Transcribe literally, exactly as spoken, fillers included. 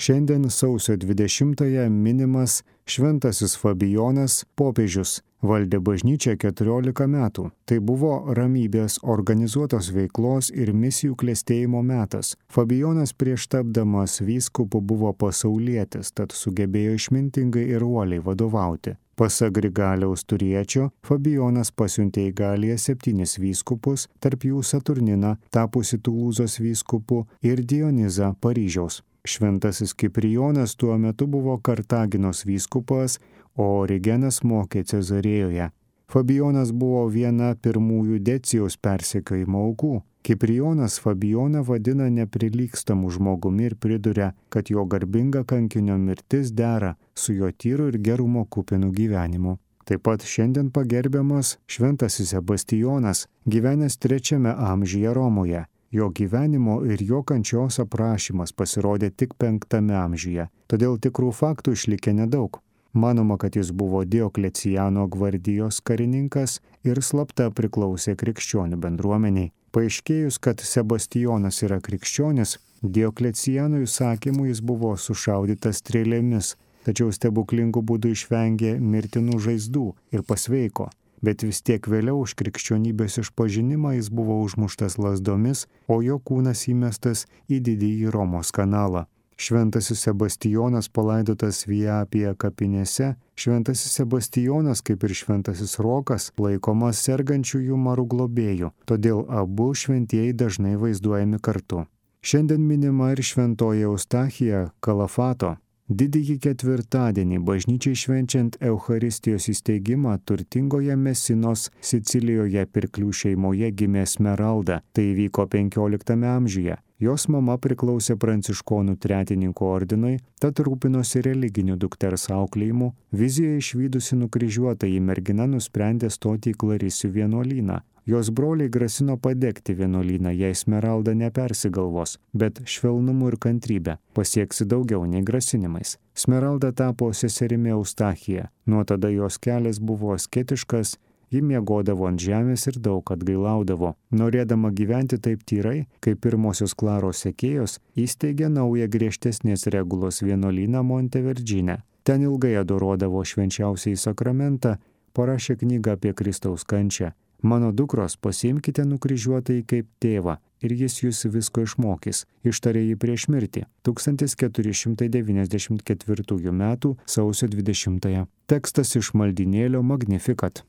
Šiandien sausio dvidešimtąją minimas Šventasis Fabijonas popiežius. Valdė bažnyčią keturiolika metų. Tai buvo ramybės, organizuotos veiklos ir misijų klestėjimo metas. Fabijonas prieš tapdamas vyskupu buvo pasaulietis, tad sugebėjo išmintingai ir uoliai vadovauti. Pasak Grigaliaus Turiečio, Fabijonas pasiuntė į Galiją septynis vyskupus, tarp jų Saturniną, tapusi Tulūzos vyskupu, ir Dionizą Paryžiaus. Šventasis Kiprijonas tuo metu buvo Kartaginos vyskupas, o Origenas mokė Cezarėjoje. Fabijonas buvo viena pirmųjų Decijaus persekiojimo aukų. Kiprijonas Fabijoną vadina neprilygstamu žmogumi ir priduria, kad jo garbinga kankinio mirtis dera su jo tyru ir gerumo kupinu gyvenimu. Taip pat šiandien pagerbiamas Šventasis Sebastijonas, gyvenęs trečiame amžiuje Romoje. Jo gyvenimo ir jo kančios aprašymas pasirodė tik penktame amžiuje, todėl tikrų faktų išlikę nedaug. Manoma, kad jis buvo Diokleciano gvardijos karininkas ir slapta priklausė krikščionių bendruomeniai. Paaiškėjus, kad Sebastijonas yra krikščionis, Diokleciano įsakymu jis buvo sušaudytas strėlėmis, tačiau stebuklingų būdų išvengė mirtinų žaizdų ir pasveiko. Bet vis tiek vėliau už krikščionybės išpažinimą jis buvo užmuštas lazdomis, o jo kūnas įmestas į didįjį Romos kanalą. Šventasis Sebastijonas palaidotas Viapija kapinėse. Šventasis Sebastijonas, kaip ir Šventasis Rokas, laikomas sergančiųjų marų globėjų, todėl abu šventieji dažnai vaizduojami kartu. Šiandien minima ir šventoji Eustachija Kalafato. Didįjį ketvirtadienį bažnyčiai švenčiant Eucharistijos įsteigimą turtingoje Mesinos Sicilijoje pirklių šeimoje gimė Smeralda. Tai įvyko penkioliktame amžiuje. Jos mama priklausė pranciškonų tretininkų ordinui, tad rūpinosi religiniu dukters auklėjimu. Vizijoje išvydusi nukryžiuotąjį mergina nusprendė stoti į Klarisių vienuolyną. Jos broliai grasino padegti vienuolyną, jei Smeralda nepersigalvos, bet švelnumu ir kantrybe pasieksi daugiau nei grasinimais. Smeralda tapo seserimi Eustachija. Nuo tada jos kelias buvo asketiškas, ji miegodavo ant žemės ir daug atgailaudavo. Norėdama gyventi taip tyrai, kaip pirmosios Klaros sekėjos, įsteigė naują griežtesnės regulos vienuolyną Monteverdžine. Ten ilgai adoruodavo švenčiausiąjį sakramentą, parašė knygą apie Kristaus kančią. Mano dukros, pasiimkite nukryžiuotąjį kaip tėvą ir jis jūs visko išmokys, ištarė jį prieš mirtį. tūkstantis keturi šimtai devyniasdešimt ketvirtųjų metų sausio dvidešimtąją. Tekstas iš maldynėlio Magnificat.